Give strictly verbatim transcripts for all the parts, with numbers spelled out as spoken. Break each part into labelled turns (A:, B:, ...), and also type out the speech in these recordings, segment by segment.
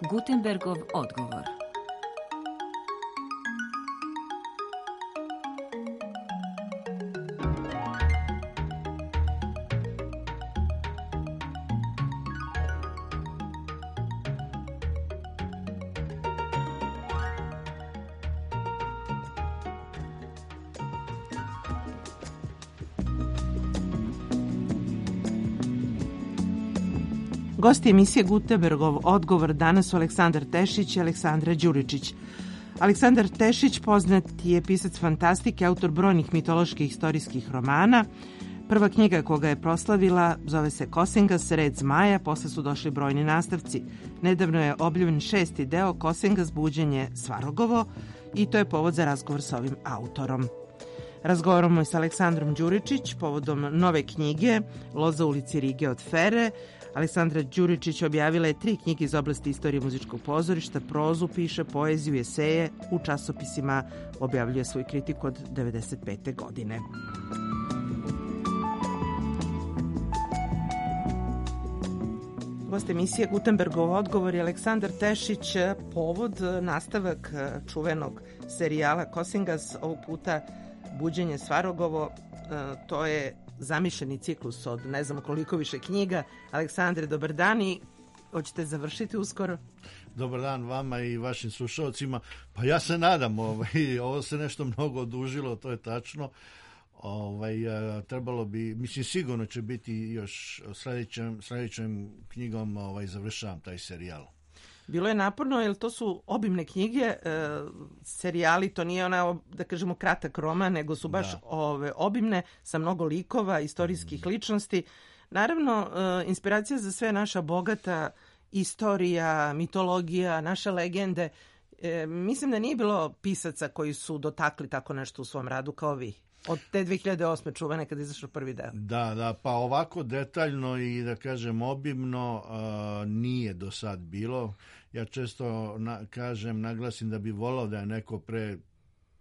A: Gutenbergov odgovor.
B: Gosti emisije Gutenbergov odgovor danas su Aleksandar Tešić i Aleksandra Đuričić. Aleksandar Tešić poznat je pisac fantastike, autor brojnih mitoloških istorijskih romana. Prva knjiga koga je proslavila zove se Kosengas, red zmaja, posle su došli brojni nastavci. Nedavno je objavljen šesti deo Kosengas, buđenje Svarogovo, i to je povod za razgovor sa ovim autorom. Razgovaramo i sa Aleksandrom Đuričić povodom nove knjige Loza u ulici Rige od Fere. Aleksandra Đuričić objavila je tri knjige iz oblasti istorije muzičkog pozorišta, prozu, piše, poeziju, eseje, u časopisima objavljuje svoju kritiku od devedeset pete godine. Gost emisije Gutenbergov odgovor je Aleksandar Tešić, povod nastavak čuvenog serijala Kosengas, ovog puta buđenje Svarogovo. To je zamišljeni ciklus od ne znam koliko više knjiga. Aleksandre, dobar dan, i hoćete završiti uskoro?
C: Dobar dan vama i vašim slušalcima. Pa ja se nadam, ovaj, ovo se nešto mnogo odužilo, to je tačno. Ovaj, trebalo bi, mislim sigurno će biti još sljedećem, sljedećem knjigom ovaj, završavam taj serijal.
B: Bilo je naporno, jer to su obimne knjige, e, serijali, to nije ona, da kažemo, kratak roman, nego su baš ove, obimne, sa mnogo likova, istorijskih ličnosti. Naravno, e, inspiracija za sve naša bogata istorija, mitologija, naše legende. E, mislim da nije bilo pisaca koji su dotakli tako nešto u svom radu kao vi. Od te dve hiljade osme čuvene kada je izašao prvi deo.
C: Da, da, pa ovako detaljno i da kažem obimno uh, nije do sad bilo. Ja često na, kažem, naglasim da bi volao da je neko pre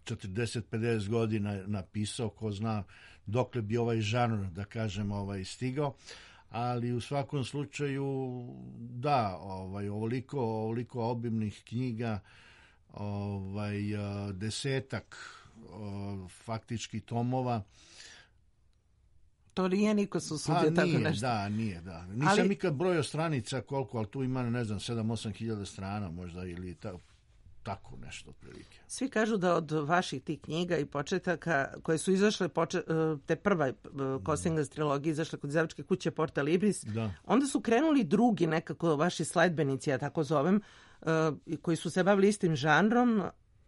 C: četrdeset pedeset godina napisao, ko zna dokle bi ovaj žanr, da kažem, ovaj stigao. Ali u svakom slučaju, da, ovaj, ovoliko, ovoliko obimnih knjiga, ovaj, uh, desetak faktički tomova.
B: To nije niko se usudio tako nešto.
C: Da, nije, da. Nisam ali nikad brojio stranica koliko, ali tu ima, ne znam, sedam osam hiljada strana možda, ili ta, tako nešto otprilike.
B: Svi kažu da od vaših tih knjiga i početaka koje su izašle, poče, te prva Kosengas trilogija izašle kod izdavačke kuće Porta Libris, da. Onda su krenuli drugi nekako vaši sledbenici, ja tako zovem, koji su se bavili istim žanrom,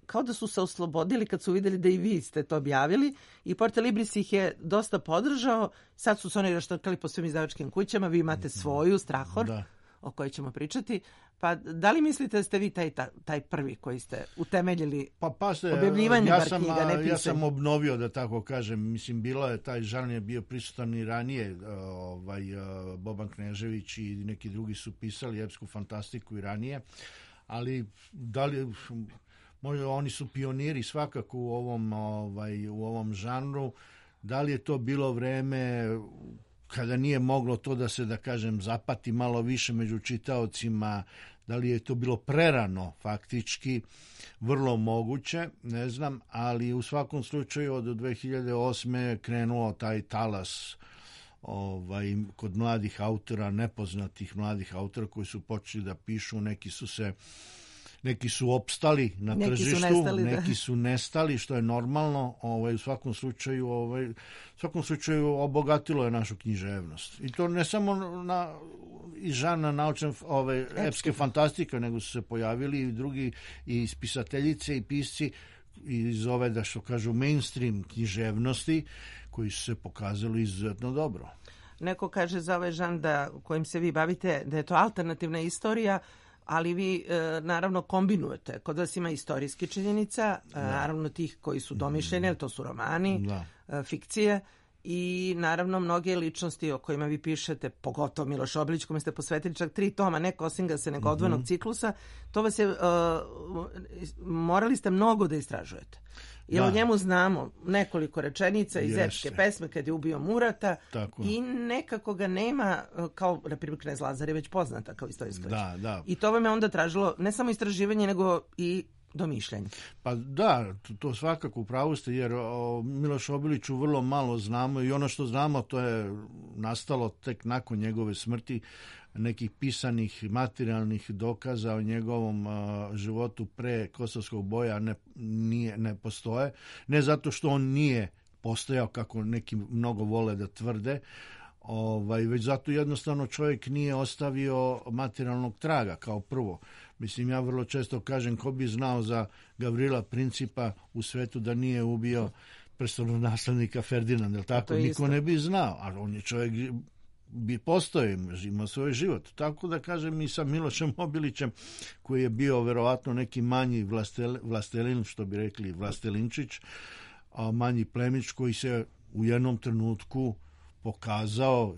B: kao da su se oslobodili kad su vidjeli da i vi ste to objavili, i Porta Libris ih je dosta podržao. Sad su se oni raštrkali po svim izdavačkim kućama, vi imate svoju, Strahor, da. O kojoj ćemo pričati. Pa da li mislite da ste vi taj, taj prvi koji ste utemeljili
C: pa, pa se,
B: objavljivanje
C: ja
B: bar
C: sam,
B: knjiga, ne pisanje?
C: Ja sam obnovio, da tako kažem. Mislim, bilo je, taj žanr je bio prisutan i ranije. Ovaj, Boban Knežević i neki drugi su pisali epsku fantastiku i ranije, ali da li... Možda oni su pioniri svakako u ovom, ovaj, u ovom žanru. Da li je to bilo vreme kada nije moglo to da se, da kažem, zapati malo više među čitaocima, da li je to bilo prerano faktički, vrlo moguće, ne znam, ali u svakom slučaju od dve hiljade osme je krenuo taj talas ovaj, kod mladih autora, nepoznatih mladih autora koji su počeli da pišu, neki su se Neki su opstali na
B: neki
C: tržištu,
B: su nestali,
C: neki
B: da.
C: su nestali, što je normalno. Ovaj, u svakom slučaju, ovaj, u svakom slučaju obogatilo je našu književnost. I to ne samo na iz žana naučne ove epske fantastike, nego su se pojavili i drugi, i spisateljice i pisci iz ove, da što kažu, mainstream književnosti, koji su se pokazali izuzetno dobro.
B: Neko kaže za ovaj žan da kojim se vi bavite da je to alternativna istorija, ali vi e, naravno kombinujete. Kod vas ima istorijski činjenica, e, naravno tih koji su domišljeni, to su romani, e, fikcije, i naravno mnoge ličnosti o kojima vi pišete, pogotovo Miloš Obilić, kome ste posvetili čak tri toma, ne Kosingasa, nego odvojenog mm-hmm. ciklusa, to vas je, uh, morali ste mnogo da istražujete. Jer o njemu znamo nekoliko rečenica iz epske pesme kad je ubio Murata. Tako. I nekako ga nema, kao Republika knez Lazar je već poznata kao istorijska.
C: Da, da.
B: I to vam je onda tražilo ne samo istraživanje, nego i domišljanje.
C: Pa da, to, to svakako u pravu ste, jer o Milošu Obiliću vrlo malo znamo i ono što znamo to je nastalo tek nakon njegove smrti. Nekih pisanih materijalnih dokaza o njegovom uh, životu pre kosovskog boja ne, nije, ne postoje. Ne zato što on nije postojao kako neki mnogo vole da tvrde, ovaj, već zato jednostavno čovjek nije ostavio materijalnog traga kao prvo. Mislim, ja vrlo često kažem, ko bi znao za Gavrila Principa u svetu da nije ubio prestolonaslednika Ferdinanda, jel tako? Niko isto ne bi znao, a on je čovjek bi postoji, ima svoj život. Tako da kažem i sa Milošem Obilićem, koji je bio verovatno neki manji vlastel, vlastelin, što bi rekli vlastelinčić, a manji plemić koji se u jednom trenutku pokazao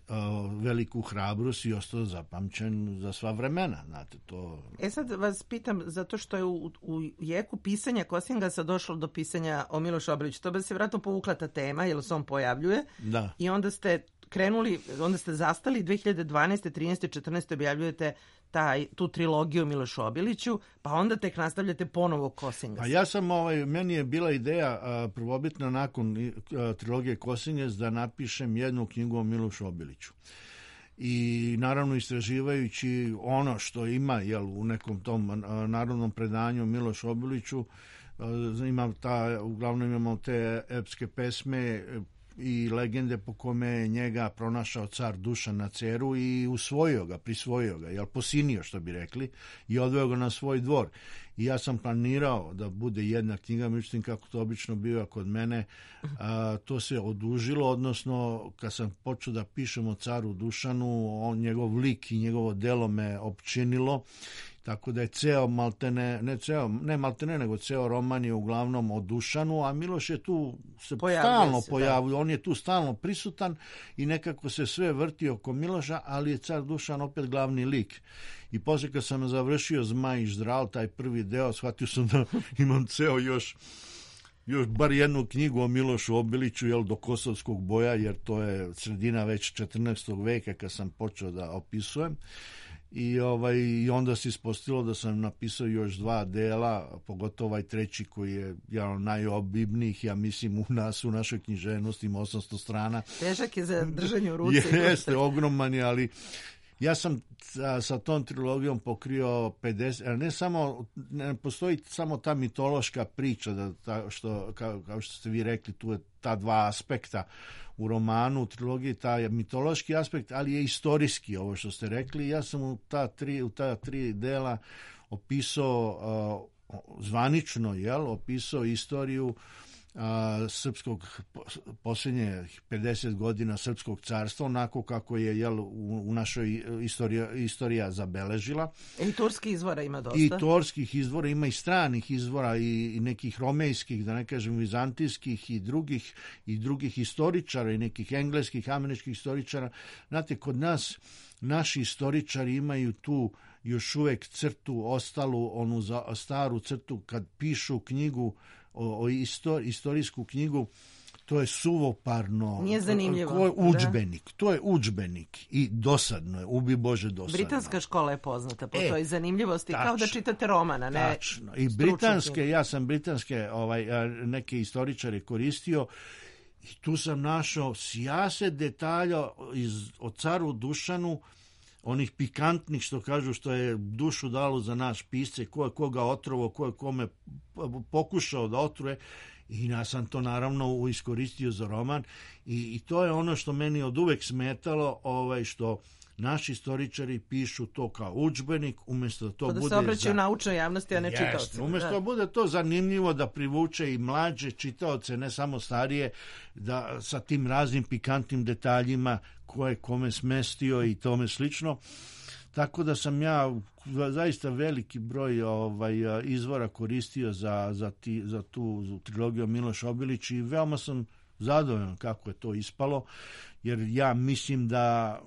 C: a, veliku hrabrost i ostao zapamćen za sva vremena. Znate, to...
B: E sad vas pitam, zato što je u, u jeku pisanja Kosingasa došlo do pisanja o Milošu Obiliću. To bi se vjerojatno povukla ta tema, jer se on pojavljuje.
C: Da.
B: I onda ste krenuli, onda ste zastali dve hiljade dvanaeste, trinaeste, četrnaeste objavljujete taj, tu trilogiju o Milošu Obiliću, pa onda tek nastavljate ponovo Kosingas.
C: A ja sam, ovaj, meni je bila ideja a, prvobitna nakon a, trilogije Kosingas da napišem jednu knjigu o Milošu Obiliću. I naravno istraživajući ono što ima, jel, u nekom tom a, narodnom predanju o Milošu Obiliću, a, imam ta, uglavnom imamo te epske pesme i legende po kome je njega pronašao car Dušan na Ceru i usvojio ga, prisvojio ga, jel, posinio, što bi rekli, i odveo ga na svoj dvor. I ja sam planirao da bude jedna knjiga, međutim, kako to obično biva kod mene, a, to se odužilo, odnosno kad sam počeo da pišem o caru Dušanu, on, njegov lik i njegovo delo me opčinilo, tako da je ceo maltene, ne ceo, ne maltene, nego ceo roman je uglavnom o Dušanu, a Miloš je tu se pojavio stalno se, pojavio, on je tu stalno prisutan i nekako se sve vrti oko Miloša, ali je car Dušan opet glavni lik. I posle kad sam završio Zmaj i Ždral, taj prvi deo, shvatio sam da imam ceo još još bar jednu knjigu o Milošu Obiliću, jel, do kosovskog boja, jer to je sredina već četrnaestog veka kad sam počeo da opisujem. I, ovaj, i onda se ispostavilo da sam napisao još dva dela, pogotovo ovaj treći koji je jedan od najobimnijih, ja mislim, u nas, u našoj književnosti, ima osamsto strana.
B: Težak je za držanje u ruci.
C: Jeste, ogroman je, ali ja sam sa, sa tom trilogijom pokrio pedeset, ne samo, ne postoji samo ta mitološka priča, da, ta, što, kao, kao što ste vi rekli, tu je ta dva aspekta u romanu, u trilogiji, taj mitološki aspekt, ali je istorijski, ovo što ste rekli. Ja sam u ta tri, u ta tri dela opisao uh, zvanično, jel, opisao istoriju a, srpskog, posljednje pedeset godina srpskog carstva, onako kako je, jel, u, u našoj istorija, istorija zabeležila.
B: I turskih izvora ima dosta.
C: I turskih izvora ima i stranih izvora i, i nekih romejskih, da ne kažem vizantijskih i drugih, i drugih historičara i nekih engleskih, američkih historičara. Znate, kod nas naši historičari imaju tu još uvek crtu, ostalu, onu za, staru crtu, kad pišu knjigu, o, o istor, istorijsku knjigu, to je suvoparno.
B: Nije zanimljivo.
C: To je udžbenik, da? To je udžbenik i dosadno je, ubi Bože dosadno.
B: Britanska škola je poznata po e, toj zanimljivosti, tačno, kao da čitate romana, ne?
C: Tačno. I britanske, ja sam britanske ovaj, neke historičare koristio i tu sam našao sijaset detalja iz, o caru Dušanu, onih pikantnih, što kažu, što je dušu dalo za naš pisce, ko je koga otrovo, ko je kome pokušao da otruje, i ja sam to naravno iskoristio za roman. I, i to je ono što meni od uvek smetalo, ovaj, što naši istoričari pišu to kao udžbenik, umjesto da to
B: da
C: bude...
B: se obraćaju za... naučnoj javnosti, a ne čitaoci.
C: Umjesto da bude to zanimljivo, da privuče i mlađe čitaoce, ne samo starije, da sa tim raznim pikantnim detaljima ko je kome smestio i tome slično. Tako da sam ja zaista veliki broj ovaj, izvora koristio za, za, ti, za tu za trilogiju Miloš Obilić i veoma sam zadovoljan kako je to ispalo, jer ja mislim da,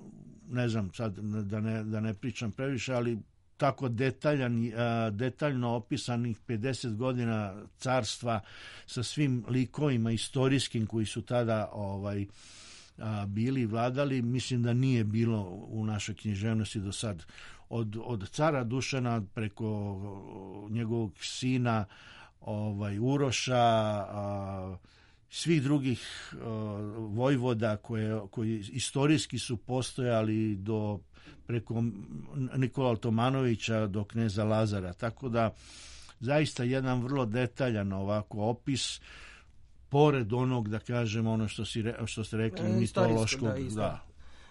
C: ne znam sad da ne, da ne pričam previše, ali tako detaljan, detaljno opisanih pedeset godina carstva sa svim likovima istorijskim koji su tada ovaj, bili vladali, mislim da nije bilo u našoj književnosti do sad. Od, od cara Dušana preko njegovog sina ovaj, Uroša, a, svih drugih a, vojvoda koje, koji istorijski su postojali do preko Nikola Altomanovića do kneza Lazara. Tako da zaista jedan vrlo detaljan ovako opis, pored onog, da kažem, ono što, si, što ste rekli, mitološkog. Da,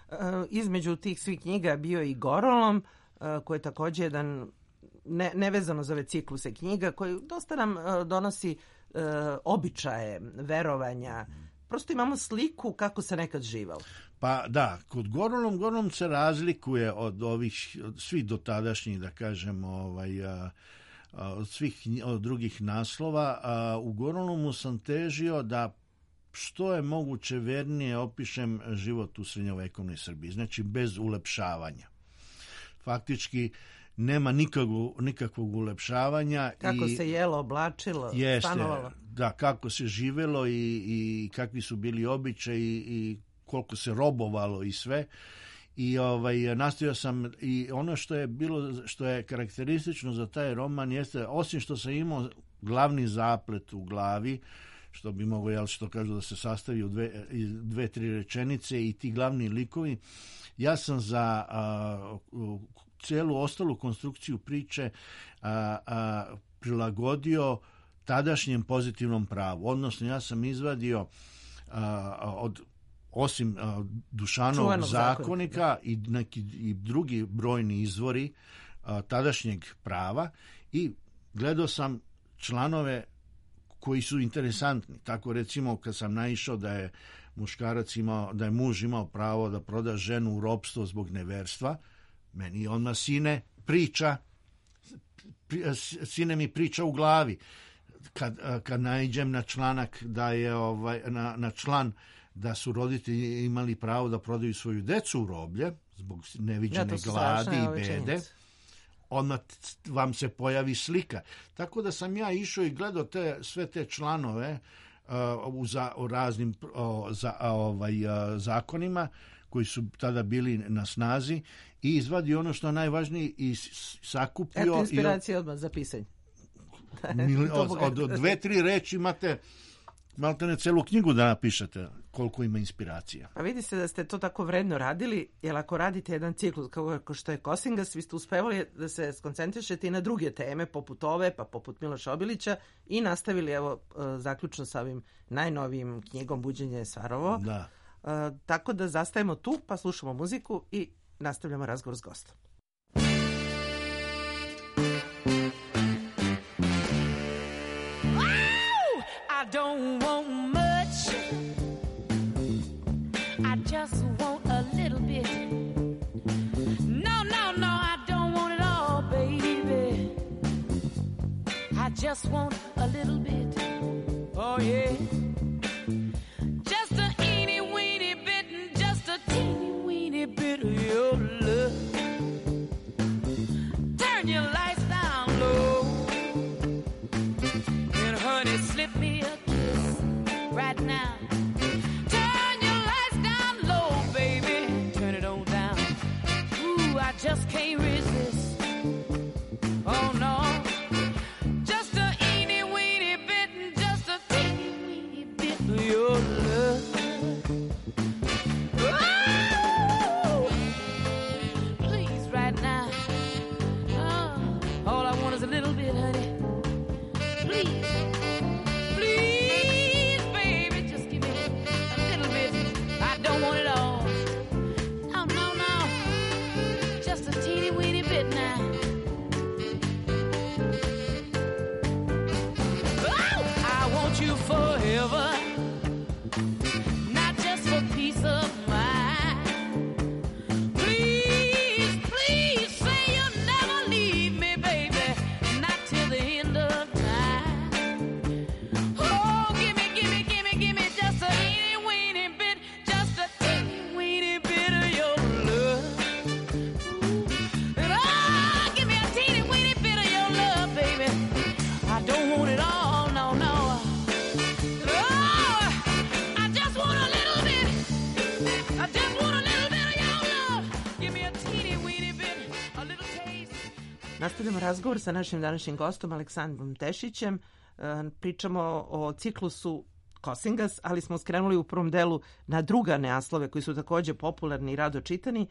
B: da. Između tih svih knjiga bio i Gorolom, koji je također jedan ne, nevezano za ove cikluse knjiga, koji dosta nam donosi uh, običaje, verovanja. Prosto imamo sliku kako se nekad živalo.
C: Pa da, kod Gorolom, Gorolom se razlikuje od ovih, od svih dotadašnjih, da kažem, ovaj, a, a, od svih od drugih naslova. A, u Gorolomu sam težio da što je moguće vernije opišem život u srednjovekovnoj Srbiji, znači bez ulepšavanja. Faktički nema nikakvog, nikakvog ulepšavanja.
B: Kako
C: i
B: se jelo, oblačilo,
C: jeste,
B: stanovalo.
C: Da, kako se živelo i, i kakvi su bili običaji i koliko se robovalo i sve. I ovaj nastavio sam, i ono što je bilo, što je karakteristično za taj roman jeste, osim što sam imao glavni zaplet u glavi, što bi moglo, jel, što kažu da se sastavi u dve, dve tri rečenice i ti glavni likovi, ja sam za a, cijelu ostalu konstrukciju priče a, a, prilagodio tadašnjem pozitivnom pravu. Odnosno, ja sam izvadio a, od osim a, Dušanovog
B: Čuvanog
C: zakonika
B: zakonika.
C: i neki i drugi brojni izvori a, tadašnjeg prava i gledao sam članove koji su interesantni. Tako recimo kad sam naišao da je muškarac imao, da je muž imao pravo da proda ženu u ropstvo zbog neverstva, meni odmah sine priča, sine mi priča u glavi. Kad, kad naiđem na članak da je ovaj, na, na član da su roditelji imali pravo da prodaju svoju decu u roblje zbog neviđene ja, gladi i bede, odmah vam se pojavi slika. Tako da sam ja išao i gledao te, sve te članove uh, u, za, u raznim uh, za, uh, ovaj, uh, zakonima koji su tada bili na snazi i izvadio ono što je najvažnije i sakupio.
B: Eto inspiracija i, odmah za pisanje.
C: od, od, od dve, tri reči imate malite ne celu knjigu da napišete koliko ima inspiracija.
B: A vidi se da ste to tako vredno radili, jer ako radite jedan ciklus kao što je Kosingas, vi ste uspevali da se skoncentrišete i na druge teme, poput ove, pa poput Miloša Obilića, i nastavili, evo, zaključno sa ovim najnovijim knjigom Buđenje Svarovo.
C: Da.
B: Uh, tako da zastajemo tu, pa slušamo muziku i nastavljamo razgovor s gostom.
D: I don't want much, I just want a little bit. No, no, no, I don't want it all, baby. I just want a little bit. Oh, yeah. Just a eeny weeny bit and just a teeny weeny bit of your love. Turn your lights down low. And honey, slip me a kiss right now. Turn your lights down low, baby. Turn it on down. Ooh, I just can't resist. Oh, no. Just a eeny weeny bit and just a teeny weeny bit of your love. Oh, please, right now. Oh, all I want is a little bit, honey. Please. Please, baby, just give me a little bit. I don't want it all. No, no, no. Just a teeny weeny
B: Nastavljamo razgovor sa našim današnjim gostom Aleksandrom Tešićem. Pričamo o ciklusu Kosingas, ali smo skrenuli u prvom delu na druga naslove koji su također popularni i rado čitani.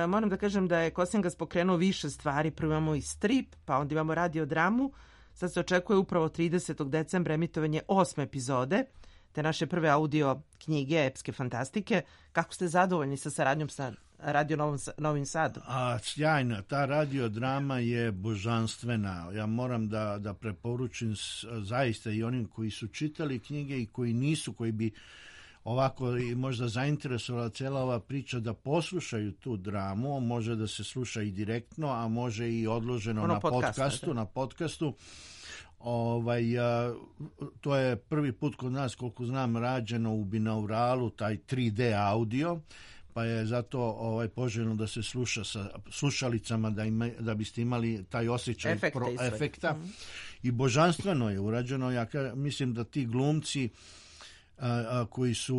B: Moram da kažem da je Kosingas pokrenuo više stvari. Prvo imamo i strip, pa onda imamo radiodramu. Sad se očekuje upravo tridesetog decembra emitovanje osme epizode te naše prve audio knjige epske fantastike. Kako ste zadovoljni sa saradnjom sa Radio Novom, Novim Sadom?
C: A, sjajna, ta radiodrama je božanstvena. Ja moram da, da preporučim zaista i onim koji su čitali knjige i koji nisu, koji bi ovako i možda zainteresovala cijela ova priča, da poslušaju tu dramu. Može da se sluša i direktno, a može i odloženo ono na podcasta, podcastu, na podcastu. Ovaj, a, to je prvi put kod nas, koliko znam, rađeno u binauralu, taj tri D audio, pa je zato ovaj, poželjno da se sluša sa slušalicama, da, ima, da biste imali taj osjećaj
B: efekta.
C: Pro, efekta. Mm. I božanstveno je urađeno. Ja ka, mislim da ti glumci a, a, koji su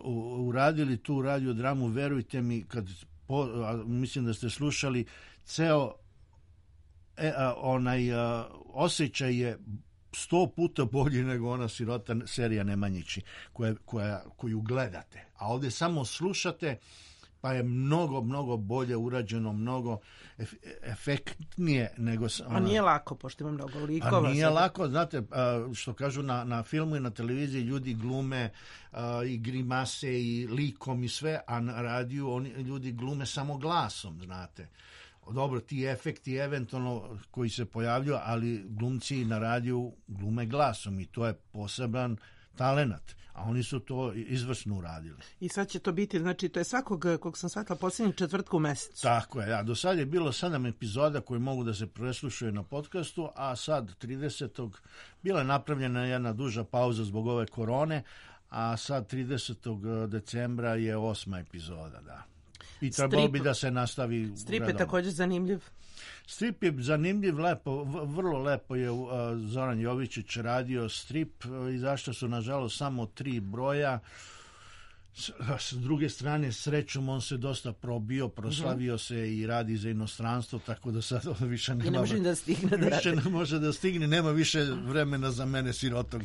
C: u, uradili tu radiodramu, verujte mi, kad po, a, mislim da ste slušali ceo E, a, onaj a, osjećaj je sto puta bolji nego ona sirota serija Nemanjići koja, koja, koju gledate, a ovdje samo slušate, pa je mnogo, mnogo bolje urađeno, mnogo ef, efektnije nego...
B: A nije lako, pošto ima mnogo likova.
C: A nije sada lako, znate, a, što kažu na, na filmu i na televiziji, ljudi glume a, i grimase i likom i sve, a na radiju oni, ljudi glume samo glasom, znate. Dobro, ti efekti eventualno koji se pojavljuju, ali glumci na radiju glume glasom i to je poseban talenat, a oni su to izvrsno uradili.
B: I sad će to biti, znači to je svakog, kog sam shvatila, posljednjeg četvrtka u mesecu.
C: Tako je, ja. Do sad je bilo sedam epizoda koje mogu da se preslušaju na podcastu, a sad tridesetog bila je napravljena jedna duža pauza zbog ove korone, a sad tridesetog decembra je osma epizoda, da. I trebalo bi da se nastavi.
B: Strip je također zanimljiv.
C: Strip je zanimljiv, lepo, vrlo lepo je uh, Zoran Jovičić radio strip, uh, i zašto su nažalost samo tri broja. S, s druge strane, srećom, on se dosta probio, proslavio uh-huh. se i radi za inostranstvo, tako da sad više nema...
B: I ne može da stigne da
C: više ne može da stigne, nema više vremena za mene sirotog.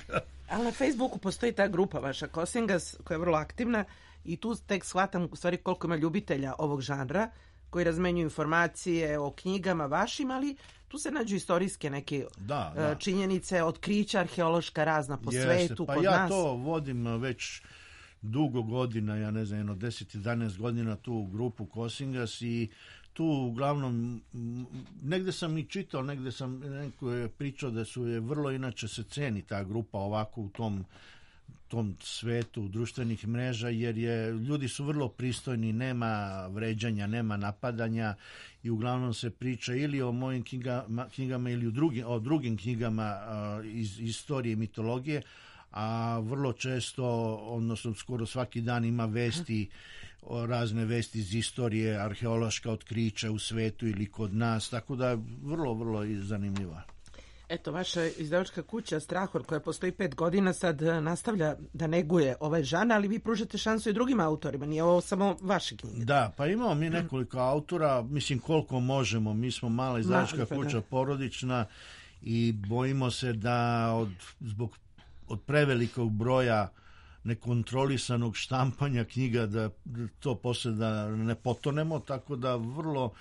B: Ali na Facebooku postoji ta grupa vaša Kosingas, koja je vrlo aktivna, i tu tek shvatam u stvari koliko ima ljubitelja ovog žanra koji razmenjuju informacije o knjigama vašim, ali tu se nađu istorijske neke
C: da, da.
B: činjenice, otkrića arheološka razna po
C: Jeste,
B: svetu,
C: pa
B: kod
C: ja
B: nas.
C: to vodim već dugo godina, ja ne znam, jedno deset jedanaest godina tu grupu Kosingas i tu uglavnom negde sam i čitao, negde sam neko je pričao da su je vrlo inače se ceni ta grupa ovako u tom tom svetu društvenih mreža, jer je ljudi su vrlo pristojni, nema vređanja, nema napadanja i uglavnom se priča ili o mojim knjigama, knjigama ili o drugim, o drugim knjigama uh, iz istorije i mitologije, a vrlo često, odnosno skoro svaki dan ima vesti, razne vesti iz istorije, arheološka otkrića u svetu ili kod nas, tako da je vrlo, vrlo zanimljiva.
B: Eto, vaša izdavačka kuća Strahor, koja postoji pet godina, sad nastavlja da neguje ovaj žan, ali vi pružate šansu i drugim autorima, nije ovo samo vaše knjige.
C: Da, pa imamo mi nekoliko autora, mislim koliko možemo, mi smo mala izdavačka Ma, kuća, da. porodična, i bojimo se da od, zbog od prevelikog broja nekontrolisanog štampanja knjiga da, da to posle da ne potonemo, tako da vrlo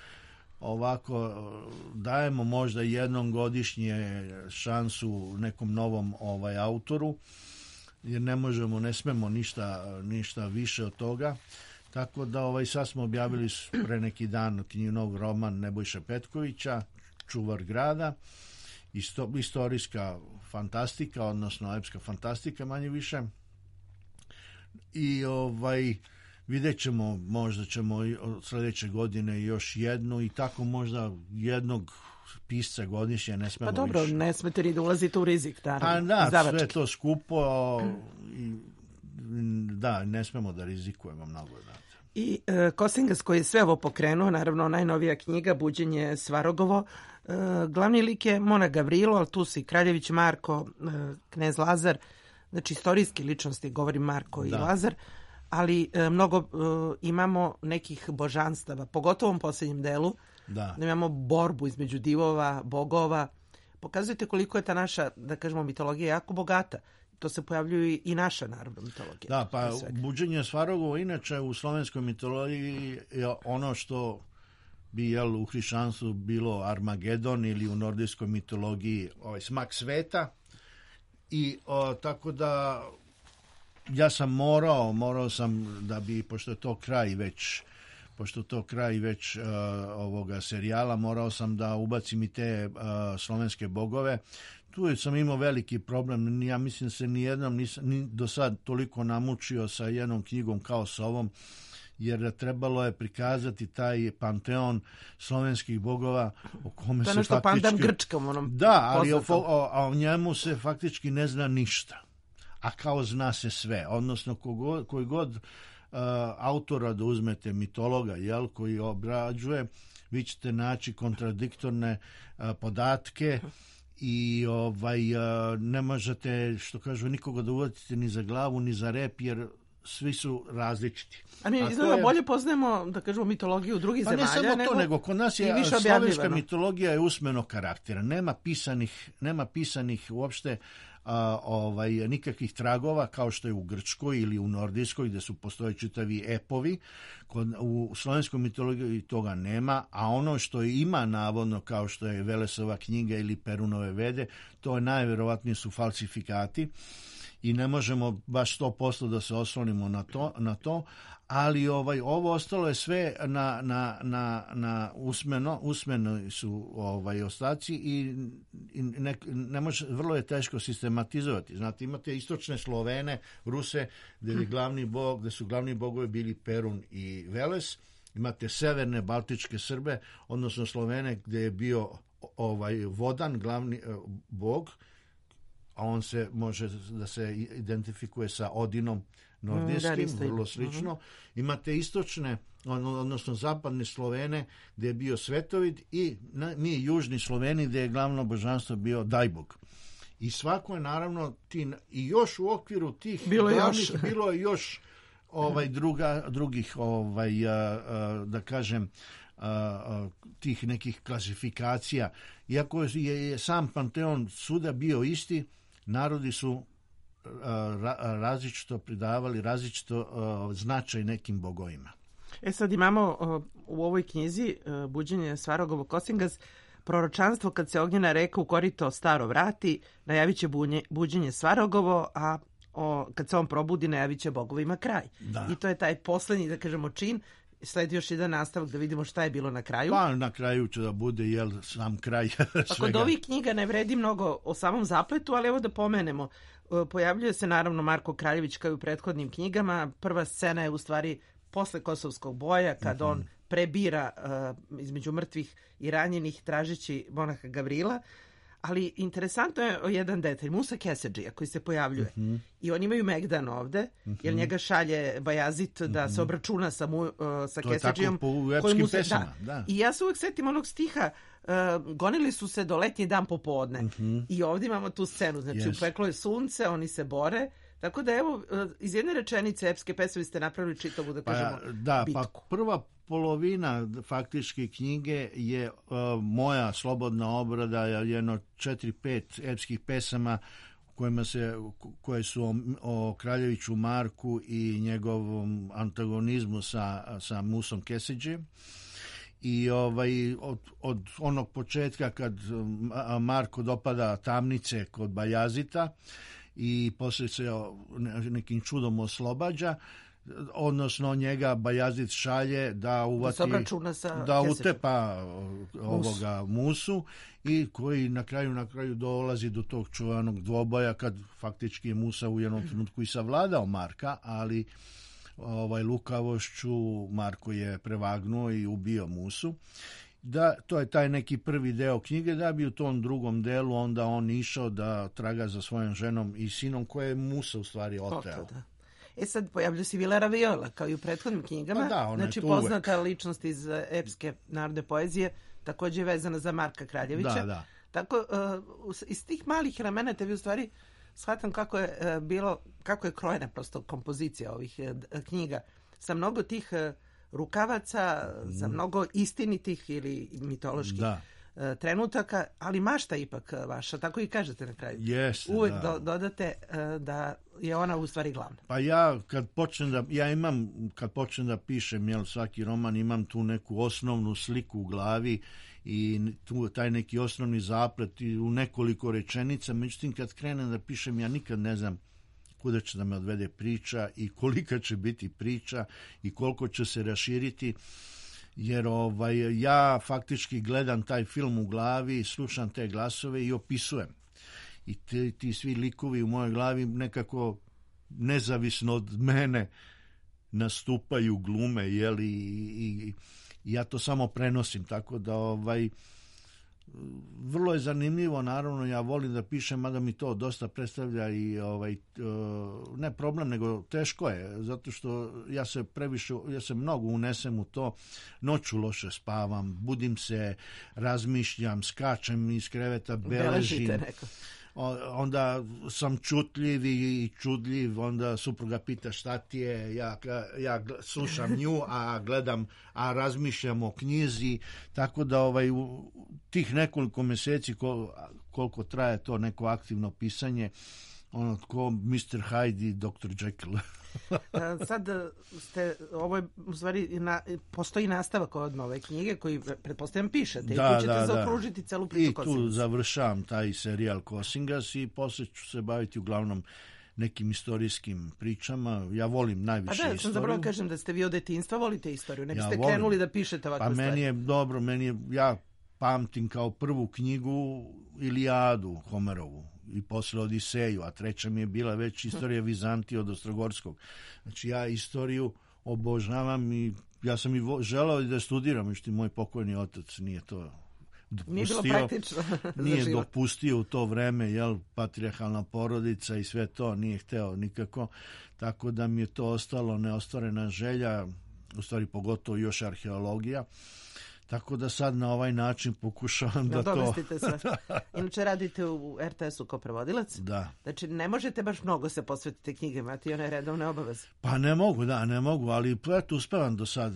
C: ovako dajemo možda jednom godišnje šansu nekom novom ovaj autoru, jer ne možemo, ne smemo ništa, ništa više od toga. Tako da ovaj sad smo objavili pre neki dan knjižnog roman Nebojše Petkovića, Čuvar grada, isto, istorijska fantastika, odnosno epska fantastika manje više. I ovaj vidjet ćemo, možda ćemo od sljedeće godine još jednu i tako možda jednog pisca godišnje, ne smemo.
B: Pa dobro, više. Ne smete ni da ulazite u rizik, naravno.
C: Pa da,
B: Izdavački.
C: sve to skupo i da, ne smemo da rizikujemo mnogo. Da.
B: I e, Kosingas koji je sve ovo pokrenuo, naravno najnovija knjiga Buđenje Svarogovo, e, glavni lik je Mona Gavrilo, ali tu si Kraljević Marko, e, Knez Lazar, znači istorijski ličnosti, govorim Marko i da. Lazar, ali e, mnogo e, imamo nekih božanstava, pogotovo u posljednjem delu.
C: Da.
B: da imamo borbu između divova, bogova. Pokazujete koliko je ta naša, da kažemo, mitologija jako bogata. To se pojavljuje i naša narodna mitologija.
C: Da, pa buđenje Svarogovo inače u slovenskoj mitologiji je ono što bi jel, u hrišćanstvu bilo Armagedon ili u nordijskoj mitologiji ovaj, smak sveta. I o, tako da ja sam morao, morao sam da bi, pošto je to kraj već, pošto je to kraj već uh, ovoga serijala, morao sam da ubacim i te uh, slovenske bogove. Tu sam imao veliki problem, ja mislim da se nijednom nisam ni do sad toliko namučio sa jednom knjigom kao sa ovom, jer trebalo je prikazati taj panteon slovenskih bogova o kome se faktički... To je nešto
B: pandan Grčkom, onom
C: Da, ali o, o, a o njemu se faktički ne zna ništa. A kao zna se sve. Odnosno, kogod, koji god uh, autora da uzmete, mitologa, jel, koji obrađuje, vi ćete naći kontradiktorne uh, podatke i ovaj, uh, ne možete, što kažu, nikoga da uvatite ni za glavu, ni za rep, jer svi su različiti.
B: A mi izgleda je... bolje poznajemo, da kažemo, mitologiju drugih
C: pa
B: zemalja.
C: Pa ne samo
B: nego...
C: to, nego kod nas je slovenska mitologija je usmeno karaktera. Nema pisanih, nema pisanih uopšte a, ovaj, nikakvih tragova kao što je u Grčkoj ili u Nordijskoj gdje su postoje čitavi epovi. Kod, u slovenskoj mitologiji toga nema, a ono što ima navodno kao što je Velesova knjiga ili Perunove vede, to je najverovatnije su falsifikati. I ne možemo baš sto posto da se oslonimo na to, na to ali ovaj, ovo ostalo je sve na, na, na, na usmeno, usmeno su ovaj, ostaci i, i ne, ne može, vrlo je teško sistematizovati. Znate, imate istočne Slovene, Ruse, gdje je glavni bog, gdje su glavni bogovi bili Perun i Veles, imate severne baltičke Srbe, odnosno Slovene, gdje je bio ovaj, Vodan, glavni bog, a on se može da se identifikuje sa Odinom nordijskim, mm, vrlo slično. Uh-huh. Imate istočne, odnosno zapadne Slovene, gdje je bio Svetovid i na, mi južni Sloveni, gdje je glavno božanstvo bio Dajbog. I svako je naravno, ti, i još u okviru tih
B: bilo,
C: glavnih,
B: još.
C: bilo je još ovaj, druga, drugih, ovaj, a, a, da kažem, a, a, tih nekih klasifikacija. Iako je, je sam panteon suda bio isti, narodi su ra, različito pridavali, različito uh, značaj nekim bogovima.
B: E sad imamo uh, u ovoj knjizi uh, Buđenje Svarogovo Kosingaz proročanstvo kad se ognjena reka u korito staro vrati, najavit će bunje, buđenje Svarogovo, a o, kad se on probudi najavit će bogovima kraj.
C: Da.
B: I to je taj poslednji, da kažemo, čin. Sledi još jedan nastavak da vidimo šta je bilo na kraju.
C: Pa na kraju će da bude jel, sam kraj svega.
B: Pa kod ovih knjiga ne vredi mnogo o samom zapletu, ali evo da pomenemo. Pojavljuje se naravno Marko Kraljević kao i u prethodnim knjigama. Prva scena je u stvari posle Kosovskog boja, kad mm-hmm. on prebira uh, između mrtvih i ranjenih tražeći monaha Gavrila. Ali interesantno je jedan detalj, Musa Kesedžija koji se pojavljuje. Mm-hmm. I oni imaju Megdan ovde, mm-hmm. jer njega šalje Bajazit da mm-hmm. se obračuna sa, mu, uh, sa Kesedžijom.
C: To je tako po epskim pesama. Da.
B: Da. I ja se uvek setim onog stiha, uh, gonili su se do letnji dan popodne. Mm-hmm. I ovdje imamo tu scenu, znači yes. upeklo je sunce, oni se bore. Tako da evo, uh, iz jedne rečenice epske pesme ste napravili čitavu, da kažemo,
C: pa, da,
B: bitku.
C: Pa prva polovina faktički knjige je uh, moja slobodna obrada, jedno četiri, pet epskih pesama kojima se, koje su o, o Kraljeviću Marku i njegovom antagonizmu sa, sa Musom Kesedžijem. I ovaj, od, od onog početka kad Marko dopada tamnice kod Bajazita i poslije se nekim čudom oslobađa, odnosno njega Bajazit šalje da uvati,
B: da,
C: da utepa ovoga Musu i koji na kraju na kraju dolazi do tog čuvanog dvoboja kad faktički je Musa u jednom trenutku i savladao Marka, ali ovaj lukavošću Marko je prevagnuo i ubio Musu. Da, to je taj neki prvi deo knjige, da bi u tom drugom delu onda on išao da traga za svojom ženom i sinom koje je Musa u stvari oteo.
B: Da. E sad pojavlja se Vilera Viola, kao i u prethodnim knjigama.
C: Pa da,
B: znači poznata uvek. Ličnost iz epske narodne poezije, također je vezana za Marka Kraljevića.
C: Da, da.
B: Tako, uh, iz tih malih elemenata vi u stvari shvatam kako je uh, bilo, kako je krojena prosto kompozicija ovih uh, knjiga. Sa mnogo tih uh, rukavaca, za mnogo istinitih ili mitoloških
C: da.
B: trenutaka, ali mašta ipak vaša, tako i kažete na kraju.
C: Jeste,
B: uvek
C: da.
B: do, dodate da je ona u stvari glavna.
C: Pa ja kad počnem da, ja imam, kad počnem da pišem, jel, svaki roman, imam tu neku osnovnu sliku u glavi i tu taj neki osnovni zaplet i u nekoliko rečenica, međutim kad krenem da pišem, ja nikad ne znam kuda će da me odvede priča i kolika će biti priča i koliko će se raširiti, jer ovaj, ja faktički gledam taj film u glavi, slušam te glasove i opisujem. I ti, ti svi likovi u mojoj glavi nekako nezavisno od mene nastupaju, glume, jel, i, i, i ja to samo prenosim, tako da ovaj, vrlo je zanimljivo, naravno ja volim da pišem, mada mi to dosta predstavlja i ovaj, ne problem, nego teško je, zato što ja se previše, ja se mnogo unesem u to, noću loše spavam, budim se, razmišljam, skačem iz kreveta, beležim, onda sam čutljiv i čudljiv, onda supruga pita šta ti je, ja, ja slušam nju, a gledam, a razmišljam o knjizi, tako da ovaj, u tih nekoliko meseci kol, koliko traje to neko aktivno pisanje, ono ko mister Hyde i doktor Jekyll.
B: Sad ste, ovo je u stvari, na, postoji nastavak od nove knjige koji pretpostavljam pišete, da, i tu ćete da, zaokružiti da. celu priču Kosingas.
C: I tu završavam taj serijal Kosingas i posle ću se baviti uglavnom nekim istorijskim pričama. Ja volim najviše istoriju. A da,
B: istoriju. Sam zapravo kažem da ste vi od detinjstva volite istoriju, ne biste ja krenuli da pišete ovakve
C: pa
B: stvari.
C: Pa meni je dobro, meni je, ja pamtim kao prvu knjigu Ilijadu Homerovu i posle Odiseju, a treća mi je bila već istorija Vizantije od Ostrogorskog. Znači ja istoriju obožavam i ja sam i vo, želao da studiram, međutim moj pokojni otac nije to dopustio.
B: Nije bilo praktično
C: nije dopustio u to vreme, jel, patrijarhalna porodica i sve to, nije hteo nikako, tako da mi je to ostalo neostvarena želja, u stvari pogotovo još arheologija. Tako da sad na ovaj način pokušavam da, da to...
B: sve. Inače radite u er te esu kao prevodilac.
C: Da.
B: Znači ne možete baš mnogo se posvetiti knjige, imate i one redovne obaveze.
C: Pa ne mogu, da, ne mogu, ali eto uspevam do sad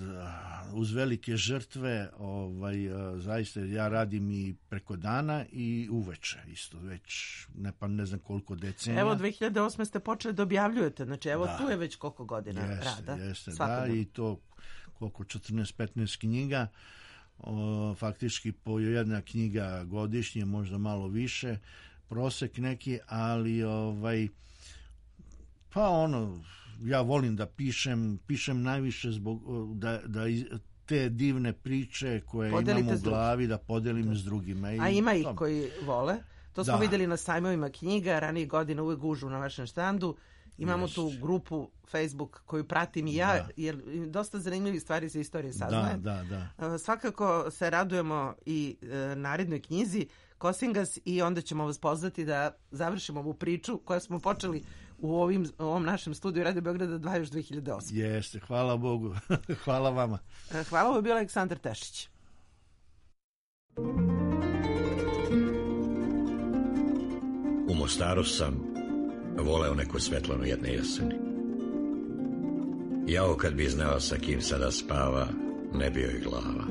C: uz velike žrtve, ovaj, zaista ja radim i preko dana i uveče isto, već ne, pa ne znam koliko decenija.
B: Evo dve hiljade osme ste počeli da objavljujete, znači evo da. Tu je već koliko godina
C: jeste,
B: rada.
C: Jeste, da, i to koliko četrnaest petnaest knjiga. O, faktički po jedna knjiga godišnje, možda malo više, prosek neki, ali ovaj, pa ono, ja volim da pišem, pišem najviše zbog da, da te divne priče koje Podelite imam u glavi da podelim da. s drugima. I
B: a ima ih tom. Koji vole, to smo da. vidjeli na sajmovima knjiga, ranije godine uvek gužu na vašem štandu. Imamo Jest. tu grupu Facebook koju pratim i ja, da. jer dosta zanimljivih stvari za istorije saznajem.
C: Da, da, da.
B: Svakako se radujemo i e, narednoj knjizi Kosingas i onda ćemo vas pozvati da završimo ovu priču koju smo počeli u ovim, ovom našem studiju Radio Beograda dva još dve hiljade osme.
C: Jeste, hvala Bogu. Hvala vama.
B: Hvala, ovo je bio Aleksandar Tešić.
E: U Mostaru sam voleo neku Svetlanu jedne jeseni. Jao kad bi znao sa kim sada spava, ne bio i glava,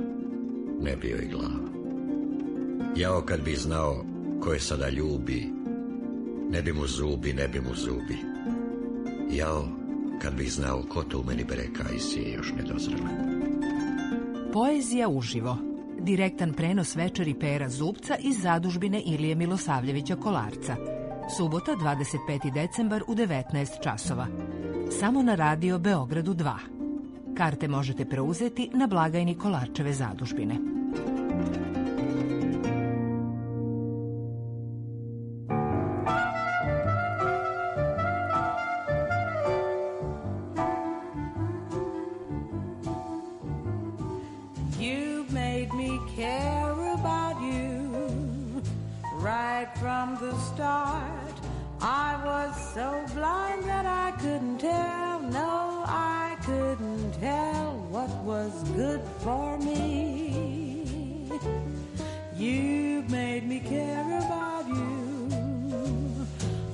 E: ne bio i glava. Jao kad bi znao ko je sada ljubi, ne bi mu zubi, ne bi mu zubi. Jao kad bi znao ko to u meni bere kajsije još nedozrela.
F: Poezija uživo. Direktan prenos večeri Pera Zubca iz zadužbine Ilije Milosavljevića Kolarca. Subota, dvadeset peti decembar u devetnaest časova. Samo na radio Beogradu dva. Karte možete preuzeti na blagajni Kolarčeve zadužbine.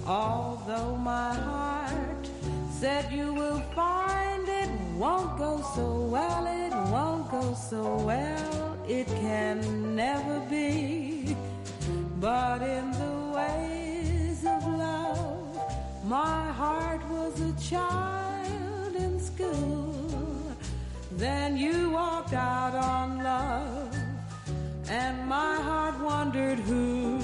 D: Although my heart said you will find it won't go so well, it won't go so well, it can never be. But in the ways of love, my heart was a child in school. Then you walked out on love, and my heart wondered who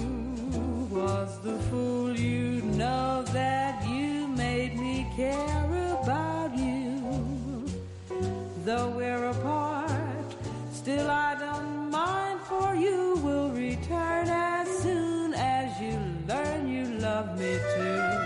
D: was the fool. You know that you made me care about you. Though we're apart, still I don't mind, for you will return as soon as you learn you love me too.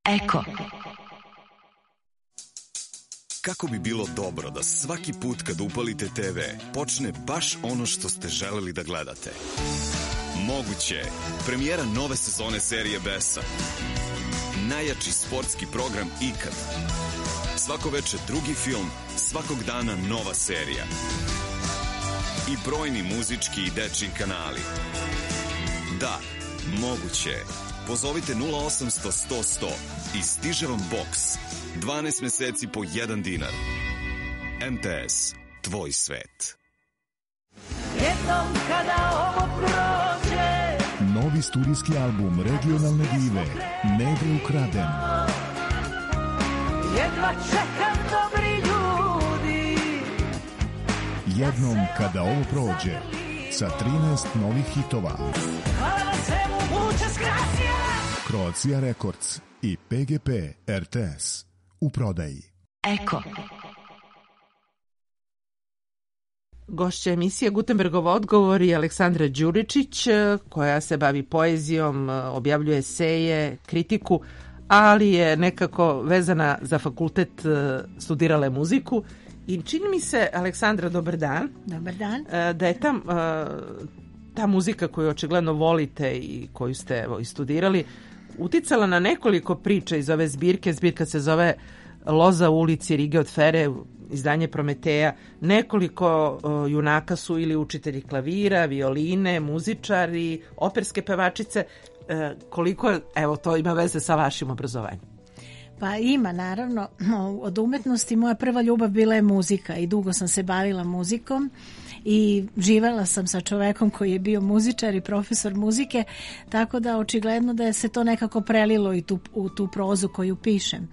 G: Eko.
H: Kako bi bilo dobro da svaki put kad upalite te ve počne baš ono što ste želeli da gledate. Moguće je premijera nove sezone serije Besa. Najjači sportski program ikad. Svako veče drugi film, svakog dana nova serija. I brojni muzički i dečji kanali. Da, moguće je. Pozovite nula osamsto sto sto i stiže vam boks. dvanaest meseci po jedan dinar. em te es, tvoj svet.
D: Jednom kada ovo prođe,
I: novi studijski album regionalne dive Neve ukraden.
D: Jedva čekam, dobri ljudi.
I: Jednom kada ovo prođe, sa trinaest novih hitova.
D: Hvala na svemu, muchas gracias.
I: Croatia Records i pe ge pe er te es u prodaji.
G: Eko.
B: Gošća emisije Gutenbergov odgovor je Aleksandra Đuričić, koja se bavi poezijom, objavljuje eseje, kritiku, ali je nekako vezana za fakultet, studirala je muziku. I čini mi se, Aleksandra, dobar dan.
J: Dobar dan.
B: Da je ta, ta muzika koju očigledno volite i koju ste evo, i studirali, uticala na nekoliko priča iz ove zbirke. Zbirka se zove Loza u ulici Rige od Fere, izdanje Prometeja. Nekoliko o, junaka su ili učitelji klavira, violine, muzičari, operske pevačice. E, koliko, evo, to ima veze sa vašim obrazovanjem?
J: Pa ima, naravno. Od umetnosti moja prva ljubav bila je muzika i dugo sam se bavila muzikom i živela sam sa čovekom koji je bio muzičar i profesor muzike, tako da očigledno da je se to nekako prelilo i tu, u tu prozu koju pišem.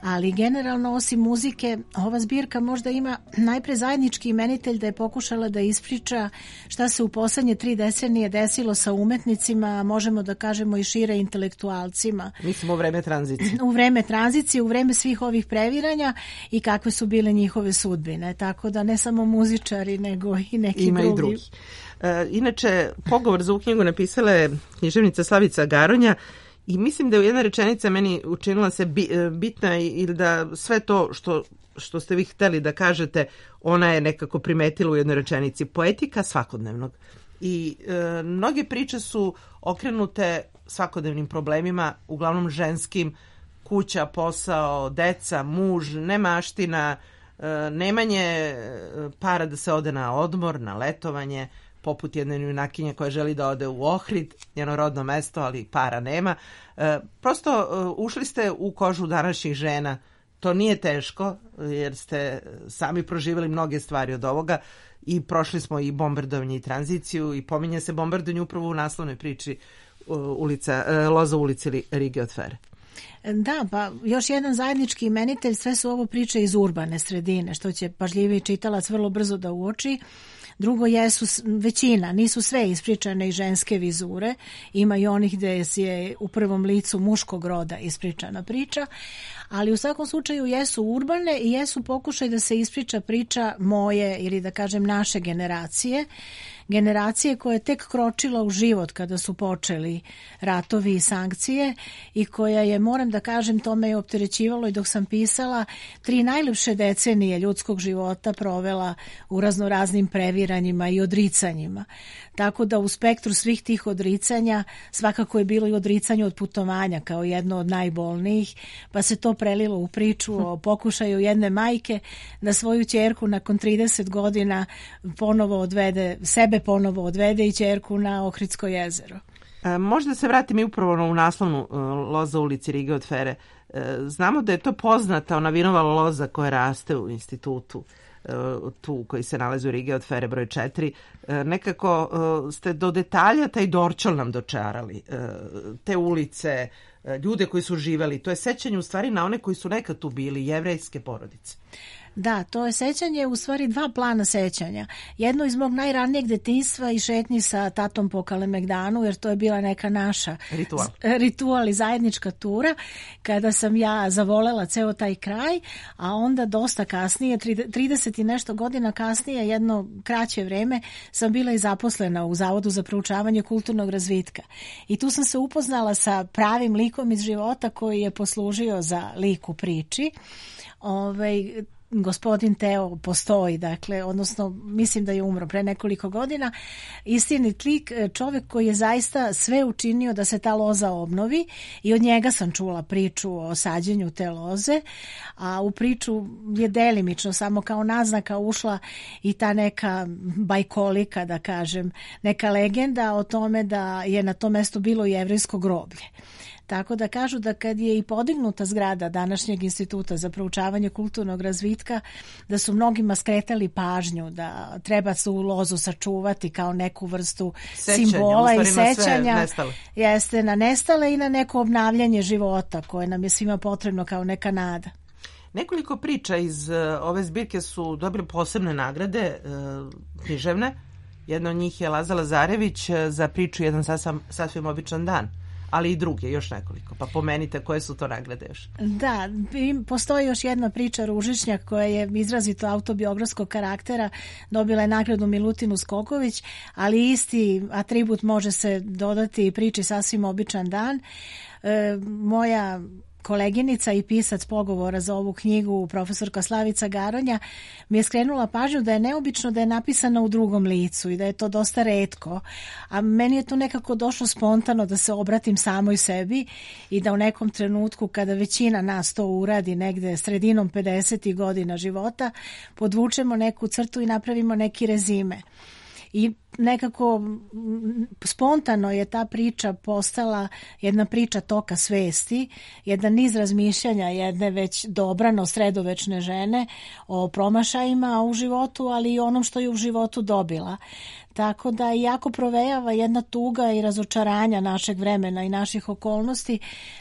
J: Ali generalno, osim muzike, ova zbirka možda ima najpre zajednički imenitelj da je pokušala da ispriča šta se u poslednje tri decenije desilo sa umetnicima, možemo da kažemo i šire intelektualcima.
B: Mislim u vreme tranzicije.
J: U vreme tranzicije, u vreme svih ovih previranja i kakve su bile njihove sudbine. Tako da ne samo muzičari, nego i neki
B: ima
J: drugi.
B: I drugi. E, inače, pogovor za ovu knjigu napisala je književnica Slavica Garonja. I mislim da je jedna rečenica meni učinila se bitna i da sve to što, što ste vi hteli da kažete, ona je nekako primetila u jednoj rečenici. Poetika svakodnevnog. I e, mnoge priče su okrenute svakodnevnim problemima, uglavnom ženskim, kuća, posao, deca, muž, nemaština, e, nemanje para da se ode na odmor, na letovanje, poput jedne junakinje koja želi da ode u Ohrid, njeno rodno mesto, ali para nema. E, prosto e, ušli ste u kožu današnjih žena. To nije teško, jer ste sami proživjeli mnoge stvari od ovoga i prošli smo i bombardovanje i tranziciju i pominje se bombardovanje upravo u naslovnoj priči ulica, e, Loza u ulici Rige od Fere.
J: Da, pa još jedan zajednički imenitelj, sve su ovo priče iz urbane sredine, što će pažljiviji čitalac vrlo brzo da uoči. Drugo, jesu većina, nisu sve ispričane i ženske vizure, ima i onih gde je u prvom licu muškog roda ispričana priča, ali u svakom slučaju jesu urbane i jesu pokušaj da se ispriča priča moje ili da kažem naše generacije, generacije koja je tek kročila u život kada su počeli ratovi i sankcije i koja je, moram da kažem, to me je opterećivalo i dok sam pisala, tri najlepše decenije ljudskog života provela u raznoraznim previranjima i odricanjima. Tako da u spektru svih tih odricanja svakako je bilo i odricanje od putovanja kao jedno od najbolnijih, pa se to prelilo u priču o pokušaju jedne majke da svoju ćerku nakon trideset godina ponovo odvede, sebe ponovo odvede i ćerku na Ohridsko jezero.
B: E, možda se vratim i upravo u naslovnu e, loza u ulici Rige od Fere. E, znamo da je to poznata ona vinova loza koja raste u institutu tu koji se nalazi u Rige od Fere broj četiri. Nekako ste do detalja taj Dorčol nam dočarali, te ulice, ljude koji su živeli. To je sećanje u stvari na one koji su nekad tu bili, jevrejske porodice.
J: Da, to je sećanje u stvari dva plana sećanja. Jedno iz mog najranijeg detinjstva i šetnji sa tatom po Kalemegdanu, jer to je bila neka naša
B: ritual,
J: ritual i zajednička tura, kada sam ja zavolela ceo taj kraj, a onda dosta kasnije, trideset i nešto godina kasnije, jedno kraće vreme, sam bila i zaposlena u Zavodu za proučavanje kulturnog razvitka. I tu sam se upoznala sa pravim likom iz života koji je poslužio za lik u priči. Ovaj, gospodin Teo postoji, dakle, odnosno mislim da je umro pre nekoliko godina, istinit lik, čovjek koji je zaista sve učinio da se ta loza obnovi i od njega sam čula priču o sađenju te loze, a u priču je delimično samo kao naznaka ušla i ta neka bajkolika, da kažem, neka legenda o tome da je na tom mestu bilo jevrejsko groblje. Tako da kažu da kad je i podignuta zgrada današnjeg instituta za proučavanje kulturnog razvitka, da su mnogima skretali pažnju da treba su lozu sačuvati kao neku vrstu sećanja, simbola i sećanja. Jeste na nestale i na neko obnavljanje života koje nam je svima potrebno kao neka nada.
B: Nekoliko priča iz uh, ove zbirke su dobile posebne nagrade uh, književne. Jedna od njih je Laza Lazarević za priču Jedan sasvim, sasvim običan dan, ali i druge, još nekoliko. Pa pomenite koje su to nagrade još.
J: Da, postoji još jedna priča Ružičnjak koja je izrazito autobiografskog karaktera, dobila je nagradu Milutinu Skoković, ali isti atribut može se dodati i priči Sasvim običan dan. E, moja koleginica i pisac pogovora za ovu knjigu, profesorka Slavica Garonja, mi je skrenula pažnju da je neobično da je napisana u drugom licu i da je to dosta retko, a meni je to nekako došlo spontano da se obratim samoj sebi i da u nekom trenutku kada većina nas to uradi negde sredinom pedesetih godina života, podvučemo neku crtu i napravimo neki rezime. I nekako spontano je ta priča postala jedna priča toka svesti, jedan niz razmišljanja jedne već dobrano sredovečne žene o promašajima u životu, ali i onom što je u životu dobila. Tako da jako provejava jedna tuga i razočaranja našeg vremena i naših okolnosti.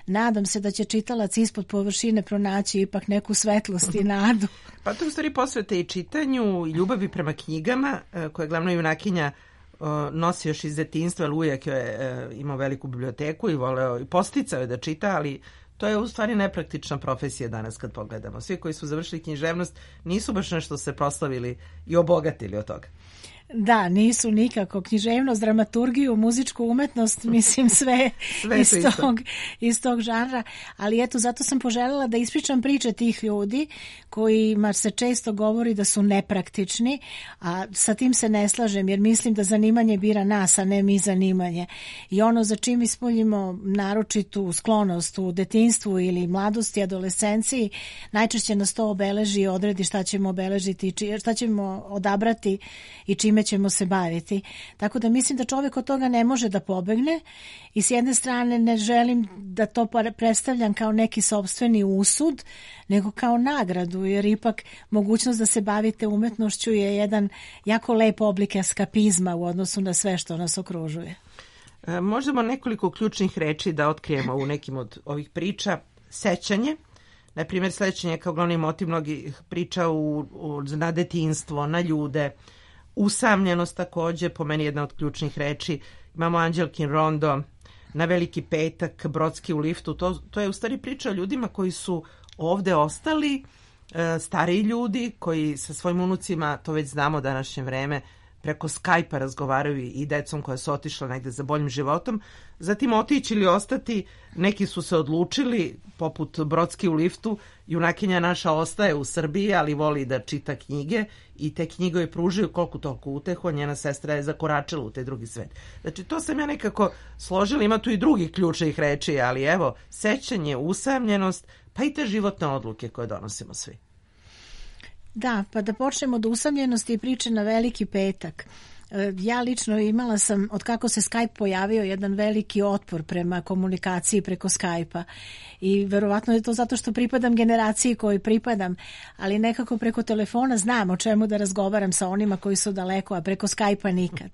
J: Nadam se da će čitalac ispod površine pronaći ipak neku svetlost i nadu.
B: Pa to u stvari posvete i čitanju i ljubavi prema knjigama, koje je glavna junakinja nosi još iz detinjstva, jer uvijek je imao veliku biblioteku i voleo i posticao je da čita, ali to je u stvari nepraktična profesija danas kad pogledamo. Svi koji su završili književnost nisu baš nešto se proslavili i obogatili od toga.
J: Da, nisu nikako. Književnost, dramaturgiju, muzičku umetnost, mislim sve, sve iz, tog, iz tog žanra. Ali eto, zato sam poželjela da ispričam priče tih ljudi kojima se često govori da su nepraktični, a sa tim se ne slažem jer mislim da zanimanje bira nas, a ne mi zanimanje. I ono za čim ispoljimo naročitu sklonost u detinjstvu ili mladosti, adolescenciji, najčešće nas to obeleži i odredi šta ćemo obeležiti, šta ćemo odabrati i čime ćemo se baviti. Tako da mislim da čovjek od toga ne može da pobegne i s jedne strane ne želim da to predstavljam kao neki sopstveni usud, nego kao nagradu, jer ipak mogućnost da se bavite umetnošću je jedan jako lep oblik eskapizma u odnosu na sve što nas okružuje.
B: E, možemo nekoliko ključnih reči da otkrijemo u nekim od ovih priča. Sećanje, na primjer sećanje kao glavni motiv mnogih priča u, u, na detinjstvo, na ljude, Usamljenost takođe, po meni jedna od ključnih reči. Imamo Anđelkin rondo, Na veliki petak, Brodski u liftu. To, to je u stvari priča o ljudima koji su ovde ostali, e, stariji ljudi koji sa svojim unucima, to već znamo današnje vreme, preko Skype-a razgovaraju i decom koja su otišla negde za boljim životom. Zatim otići ili ostati, neki su se odlučili, poput Brodski u liftu, junakinja naša ostaje u Srbiji, ali voli da čita knjige i te knjige joj pružaju koliko toliko utehu, a njena sestra je zakoračila u taj drugi svet. Znači, to sam ja nekako složila, ima tu i drugih ključnih reči, ali evo, sećanje, usamljenost, pa i te životne odluke koje donosimo svi.
J: Da, pa da počnemo od usamljenosti i priče na veliki petak. Ja lično imala sam, od kako se Skype pojavio, jedan veliki otpor prema komunikaciji preko Skype-a i verovatno je to zato što pripadam generaciji kojoj pripadam, ali nekako preko telefona znam o čemu da razgovaram sa onima koji su daleko, a preko Skype-a nikad.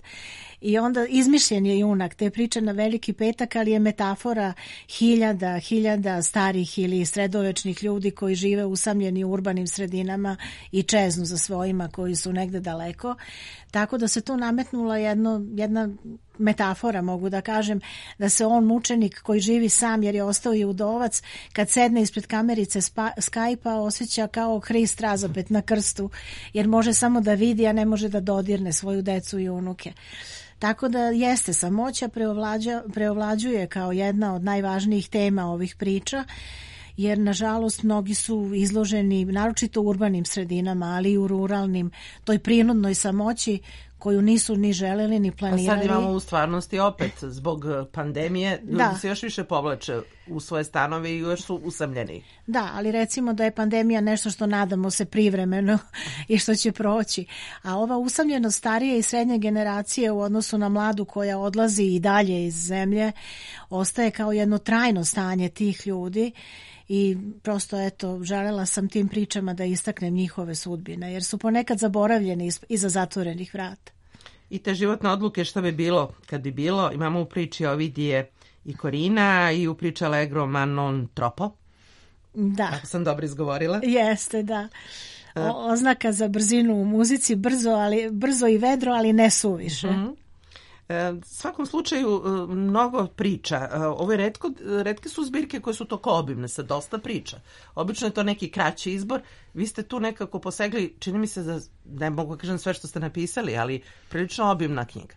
J: I onda izmišljen je junak te priče na veliki petak, ali je metafora hiljada, hiljada starih ili sredovečnih ljudi koji žive usamljeni u urbanim sredinama i čeznu za svojima koji su negde daleko. Tako da se tu nametnula jedno, jedna metafora, mogu da kažem, da se on mučenik koji živi sam jer je ostao i udovac, kad sedne ispred kamerice Skype-a osjeća kao Hrist razapet na krstu, jer može samo da vidi, a ne može da dodirne svoju decu i unuke. Tako da jeste, samoća preovlađa, preovlađuje kao jedna od najvažnijih tema ovih priča, jer nažalost mnogi su izloženi, naročito u urbanim sredinama, ali i u ruralnim, toj prinudnoj samoći koju nisu ni želeli ni planirali.
B: Pa sad imamo u stvarnosti opet, zbog pandemije, ljudi da. se još više povlače u svoje stanove i još su usamljeni.
J: Da, ali recimo da je pandemija nešto što nadamo se privremeno i što će proći. A ova usamljenost starije i srednje generacije u odnosu na mladu koja odlazi i dalje iz zemlje, ostaje kao jedno trajno stanje tih ljudi. I prosto, eto, želela sam tim pričama da istaknem njihove sudbine, jer su ponekad zaboravljeni iza zatvorenih vrata.
B: I te životne odluke šta bi bilo kad bi bilo, imamo u priči Ovidije i Korina i u priči Allegro ma non troppo.
J: Da.
B: Ako sam dobro izgovorila.
J: Jeste, da. O, oznaka za brzinu u muzici, brzo, ali, brzo i vedro, ali ne suviše.
B: Mm-hmm. U svakom slučaju mnogo priča. Ovo je retko, retke su zbirke koje su toko obimne sa dosta priča. Obično je to neki kraći izbor. Vi ste tu nekako posegli, čini mi se da ne mogu kažem sve što ste napisali, ali prilično obimna knjiga.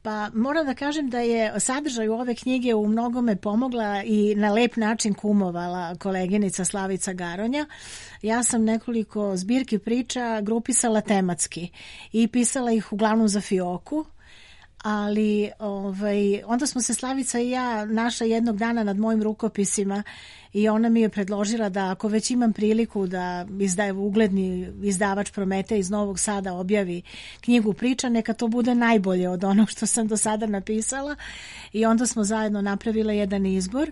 J: Pa moram da kažem da je sadržaj ove knjige u mnogome pomogla i na lep način kumovala koleginica Slavica Garonja. Ja sam nekoliko zbirki priča grupisala tematski i pisala ih uglavnom za Fioku. Ali ovaj, onda smo se Slavica i ja našla jednog dana nad mojim rukopisima i ona mi je predložila da ako već imam priliku da izdaje ugledni izdavač Prometej iz Novog Sada objavi knjigu priča, neka to bude najbolje od onog što sam do sada napisala. I onda smo zajedno napravile jedan izbor.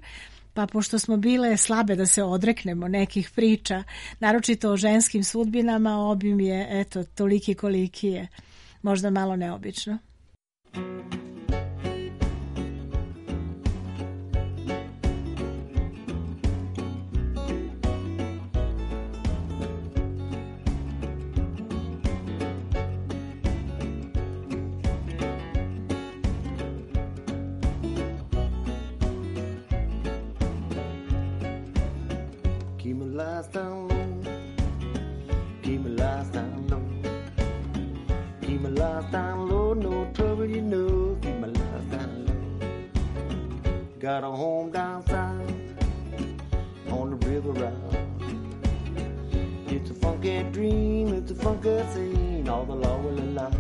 J: Pa pošto smo bile slabe da se odreknemo nekih priča, naročito o ženskim sudbinama, obim je eto toliki koliki je, možda malo neobično.
G: Keep my lights down low, keep my lights down low, keep my lights down low, no trouble you know, keep my lights down low. Got a home down south on the river route. It's a funky dream, it's a funky scene, all the law will allow.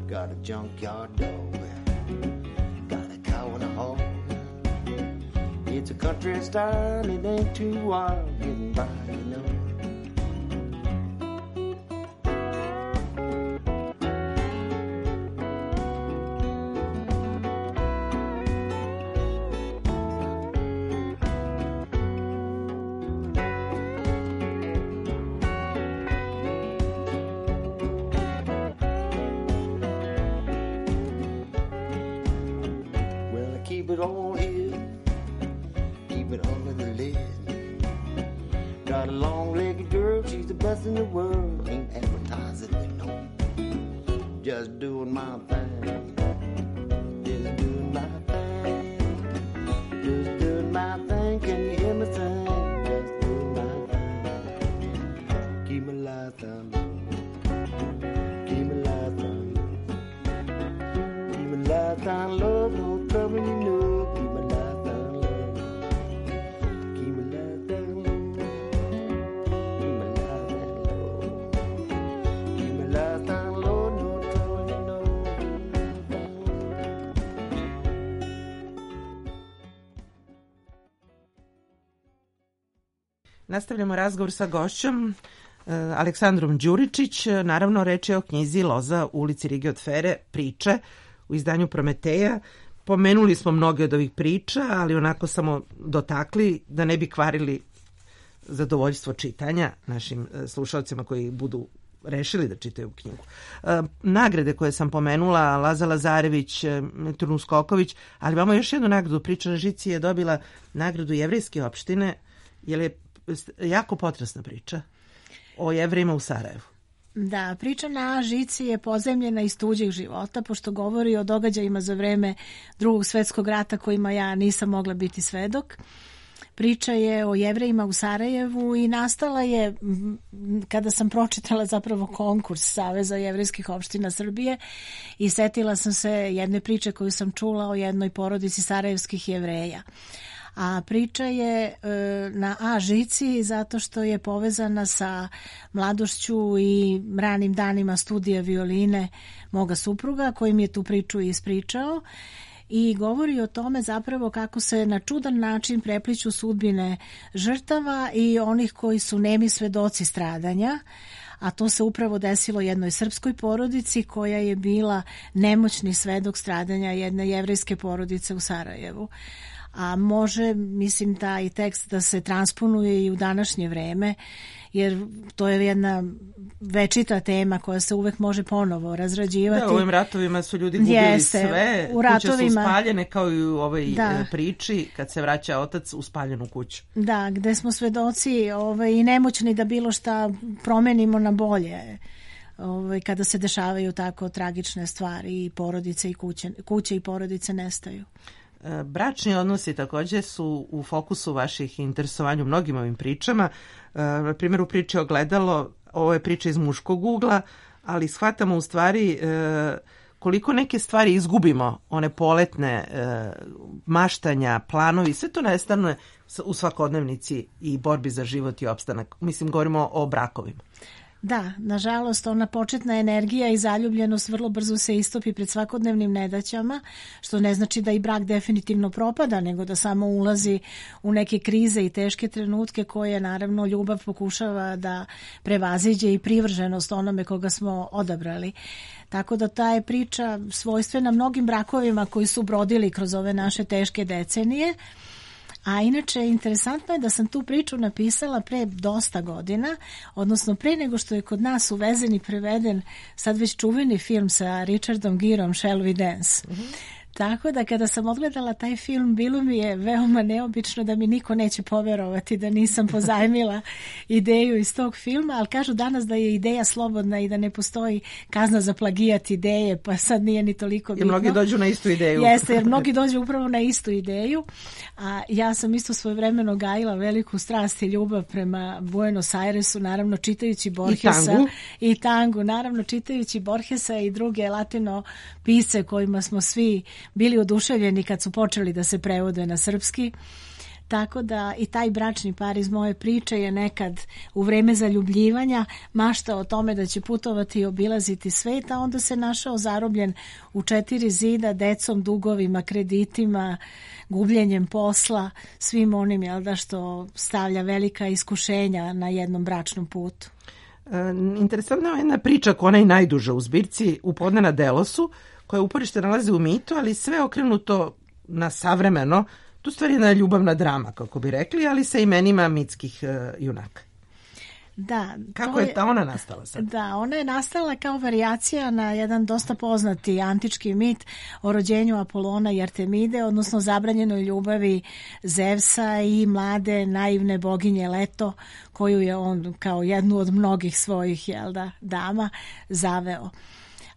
G: Got a junkyard dog, got a cow and a hog. It's a country style, it ain't too wild, getting by, you know. Well, I keep it all here, keep it under the lid. Got a long-legged girl, she's the best in the world. Ain't advertising it, no. just doing my thing. Just doing my thing. Just doing my thing. Can you hear me sing? Just doing my thing. Keep my lights down low. Keep my lights down low. Keep my lights down low. No trouble, you know. Keep my lights down low. Keep my lights down low. Keep my lights down low. Keep my lights down low. No trouble, you know.
B: Nastavljamo razgovor sa gošćom e, Aleksandrom Đuričić. Naravno, reč je o knjizi Loza u ulici Rige od Fere, priče u izdanju Prometeja. Pomenuli smo mnoge od ovih priča, ali onako samo dotakli da ne bi kvarili zadovoljstvo čitanja našim e, slušalcima koji budu rešili da čitaju knjigu. E, nagrade koje sam pomenula, Laza Lazarević, e, Trun Skoković, ali imamo još jednu nagradu. Priča na žici je dobila nagradu Jevrejske opštine, jer je jako potresna priča o Jevrejima u Sarajevu.
J: Da, priča na žici je pozemljena iz tuđih života, pošto govori o događajima za vreme Drugog svetskog rata kojima ja nisam mogla biti svedok. Priča je o Jevrejima u Sarajevu i nastala je kada sam pročitala zapravo konkurs Saveza jevrejskih opština Srbije i setila sam se jedne priče koju sam čula o jednoj porodici sarajevskih Jevreja. A priča je e, na A žici zato što je povezana sa mladošću i ranim danima studija violine moga supruga koji mi je tu priču ispričao i govori o tome zapravo kako se na čudan način prepliću sudbine žrtava i onih koji su nemi svedoci stradanja, a to se upravo desilo jednoj srpskoj porodici koja je bila nemoćni svedok stradanja jedne jevrejske porodice u Sarajevu. A može, mislim, taj tekst da se transponuje i u današnje vreme, jer to je jedna večita tema koja se uvek može ponovo razrađivati.
B: Da, u ovim ratovima su ljudi gubili
J: Jeste,
B: sve,
J: u ratovima,
B: kuće su spaljene kao i u ovoj
J: da.
B: priči kad se vraća otac u spaljenu kuću.
J: Da, gde smo svedoci ovaj, i nemoćni da bilo šta promenimo na bolje. Ovaj, kada se dešavaju tako tragične stvari i porodice i kuće, kuće i porodice nestaju.
B: Bračni odnosi također su u fokusu vaših interesovanja u mnogim ovim pričama. Na primjer, u priči Ogledalo, ovo je priča iz muškog ugla, ali shvatamo u stvari koliko neke stvari izgubimo, one poletne maštanja, planovi, sve to nestane u svakodnevnici i borbi za život i opstanak. Mislim, govorimo o brakovima.
J: Da, nažalost, ona početna energija i zaljubljenost vrlo brzo se istopi pred svakodnevnim nedaćama, što ne znači da i brak definitivno propada, nego da samo ulazi u neke krize i teške trenutke koje naravno ljubav pokušava da prevaziđe i privrženost onome koga smo odabrali. Tako da ta je priča svojstvena mnogim brakovima koji su brodili kroz ove naše teške decenije. A inače, interesantno je da sam tu priču napisala pre dosta godina, odnosno pre nego što je kod nas uvezen i preveden sad već čuveni film sa Richardom Gerom, Shall We Dance. Mm-hmm. Tako da kada sam odgledala taj film, bilo mi je veoma neobično da mi niko neće poverovati da nisam pozajmila ideju iz tog filma, ali kažu danas da je ideja slobodna i da ne postoji kazna za plagijat ideje, pa sad nije ni toliko bitno.
B: I mnogi dođu na istu ideju.
J: Jeste, jer mnogi dođu upravo na istu ideju, a ja sam isto svojevremeno gajila veliku strast i ljubav prema Buenos Airesu, naravno čitajući Borgesa.
B: I tangu.
J: I tangu, naravno čitajući Borgesa i druge latino pisce kojima smo svi bili oduševljeni kad su počeli da se prevode na srpski. Tako da i taj bračni par iz moje priče je nekad u vreme zaljubljivanja maštao o tome da će putovati i obilaziti svet, a onda se našao zarobljen u četiri zida, decom, dugovima, kreditima, gubljenjem posla, svim onim, jel da, što stavlja velika iskušenja na jednom bračnom putu.
B: E, interesantna je jedna priča koja je najduža u zbirci, U podne na Delosu, koja uporište nalazi u mitu, ali sve okrenuto na savremeno. Tu stvari je jedna ljubavna drama, kako bi rekli, ali sa imenima mitskih uh, junaka.
J: Da,
B: kako je ta ona nastala sad?
J: Da, ona je nastala kao varijacija na jedan dosta poznati antički mit o rođenju Apolona i Artemide, odnosno zabranjenoj ljubavi Zevsa i mlade naivne boginje Leto, koju je on kao jednu od mnogih svojih, jel da, dama zaveo.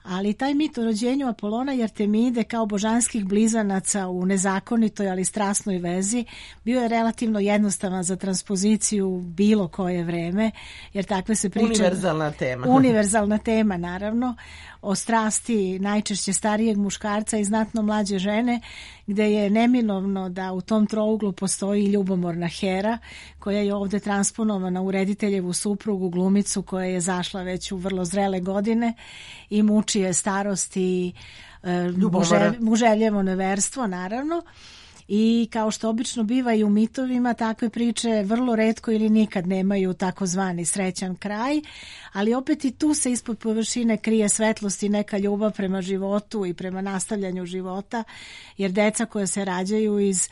J: Ali taj mit o rođenju Apolona i Artemide kao božanskih blizanaca u nezakonitoj, ali strasnoj vezi bio je relativno jednostavan za transpoziciju bilo koje vreme, jer takve se priče...
B: Univerzalna tema.
J: Univerzalna tema, naravno, o strasti najčešće starijeg muškarca i znatno mlađe žene, gde je neminovno da u tom trouglu postoji ljubomorna Hera, koja je ovde transponovana u rediteljevu suprugu, glumicu koja je zašla već u vrlo zrele godine i muči je starost i e, muže, muževljevo neverstvo, naravno. I kao što obično biva i u mitovima, takve priče vrlo retko ili nikad nemaju takozvani srećan kraj, ali opet i tu se ispod površine krije svetlost i neka ljubav prema životu i prema nastavljanju života, jer deca koja se rađaju iz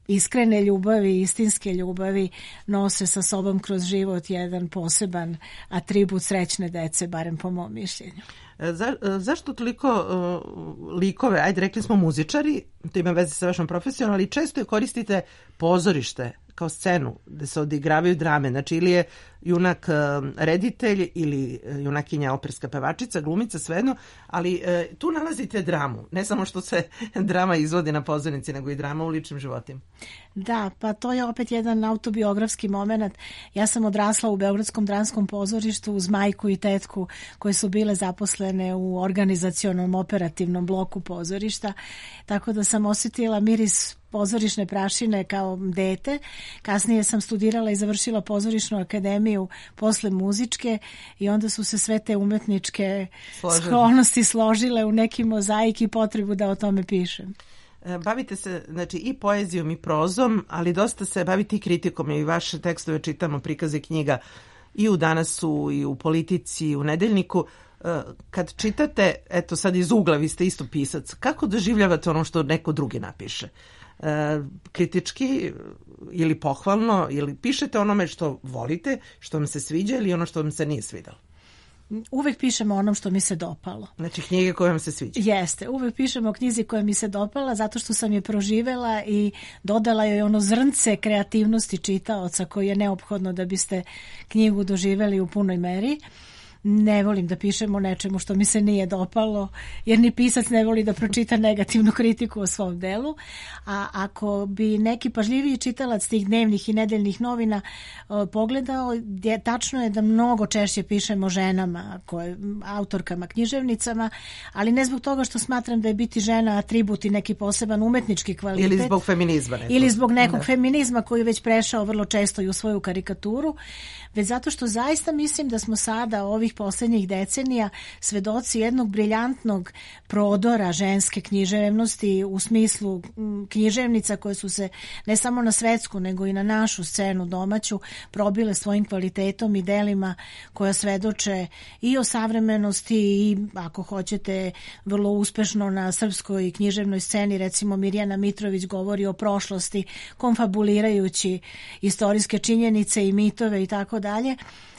J: iskrene ljubavi, istinske ljubavi nose sa sobom kroz život jedan poseban atribut srećne dece, barem po mom mišljenju.
B: Za, zašto toliko uh, likove, ajde rekli smo muzičari, to ima veze sa vašom profesijom, ali često je koristite pozorište kao scenu gde se odigravaju drame, znači ili je junak uh, reditelj ili junakinja operska pevačica, glumica, svejedno, ali uh, tu nalazite dramu, ne samo što se drama izvodi na pozornici, nego i drama u ličnim životima.
J: Da, pa to je opet jedan autobiografski moment. Ja sam odrasla u Beogradskom dramskom pozorištu uz majku i tetku koje su bile zaposlene u organizacionom operativnom bloku pozorišta, tako da sam osjetila miris pozorišne prašine kao dete. Kasnije sam studirala i završila pozorišnu akademiju posle muzičke i onda su se sve te umetničke sklonosti složile u neki mozaik i potrebu da o tome pišem.
B: Bavite se znači i poezijom i prozom, ali dosta se bavite i kritikom i vaše tekstove čitamo, prikaze knjiga i u Danasu i u Politici i u Nedeljniku. Kad čitate, eto sad iz ugla, vi ste isto pisac, kako doživljavate ono što neko drugi napiše? Kritički ili pohvalno, ili pišete onome što volite, što vam se sviđa ili ono što vam se nije svidalo?
J: Uvek pišemo onom što mi se dopalo.
B: Znači knjige koje vam se sviđa?
J: Jeste, uvek pišemo o knjizi koja mi se dopala zato što sam je proživela i dodala joj ono zrnce kreativnosti čitaoca koji je neophodno da biste knjigu doživeli u punoj meri. Ne volim da pišem o nečemu što mi se nije dopalo, jer ni pisac ne voli da pročita negativnu kritiku o svom delu, a ako bi neki pažljiviji čitalac tih dnevnih i nedeljnih novina uh, pogledao, je, tačno je da mnogo češće pišem o ženama, koje, autorkama, književnicama, ali ne zbog toga što smatram da je biti žena atribut i neki poseban umetnički kvalitet.
B: Ili zbog feminizma. Neko.
J: Ili zbog nekog
B: da.
J: feminizma koji je već prešao vrlo često i u svoju karikaturu, već zato što zaista mislim da smo sada ovih poslednjih decenija svedoci jednog briljantnog prodora ženske književnosti u smislu književnica koje su se ne samo na svetsku nego i na našu scenu domaću probile svojim kvalitetom i delima koja svedoče i o savremenosti i ako hoćete vrlo uspešno na srpskoj književnoj sceni, recimo Mirjana Mitrović govori o prošlosti konfabulirajući istorijske činjenice i mitove i tako dalje.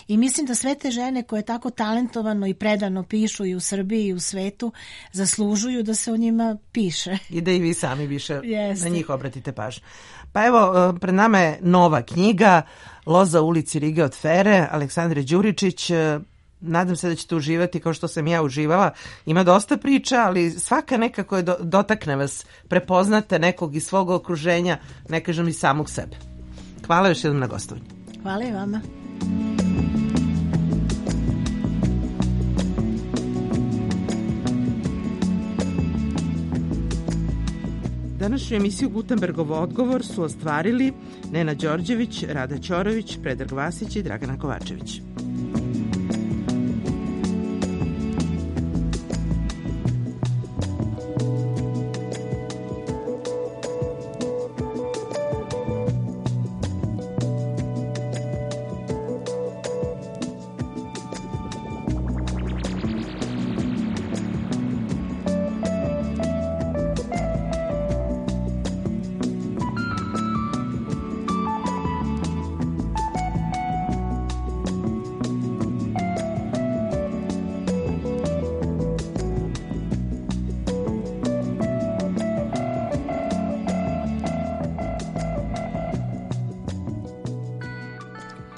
J: I mislim da sve te žene koje tako talentovano i predano pišu i u Srbiji i u svetu zaslužuju da se o njima piše.
B: I da i vi sami više
J: Jeste.
B: na njih obratite pažnju. Pa evo, pred nama je nova knjiga Loza u ulici Rige od Fere, Aleksandre Đuričić. Nadam se da ćete uživati kao što sam ja uživala. Ima dosta priča, ali svaka nekako je do, dotakne vas. Prepoznate nekog iz svog okruženja, ne kažem i samog sebe. Hvala još jednom na gostovanju.
J: Hvala i vama.
B: Današnju emisiju Gutenbergov odgovor su ostvarili Nena Đorđević, Rada Ćorović, Predrag Vasić i Dragana Kovačević.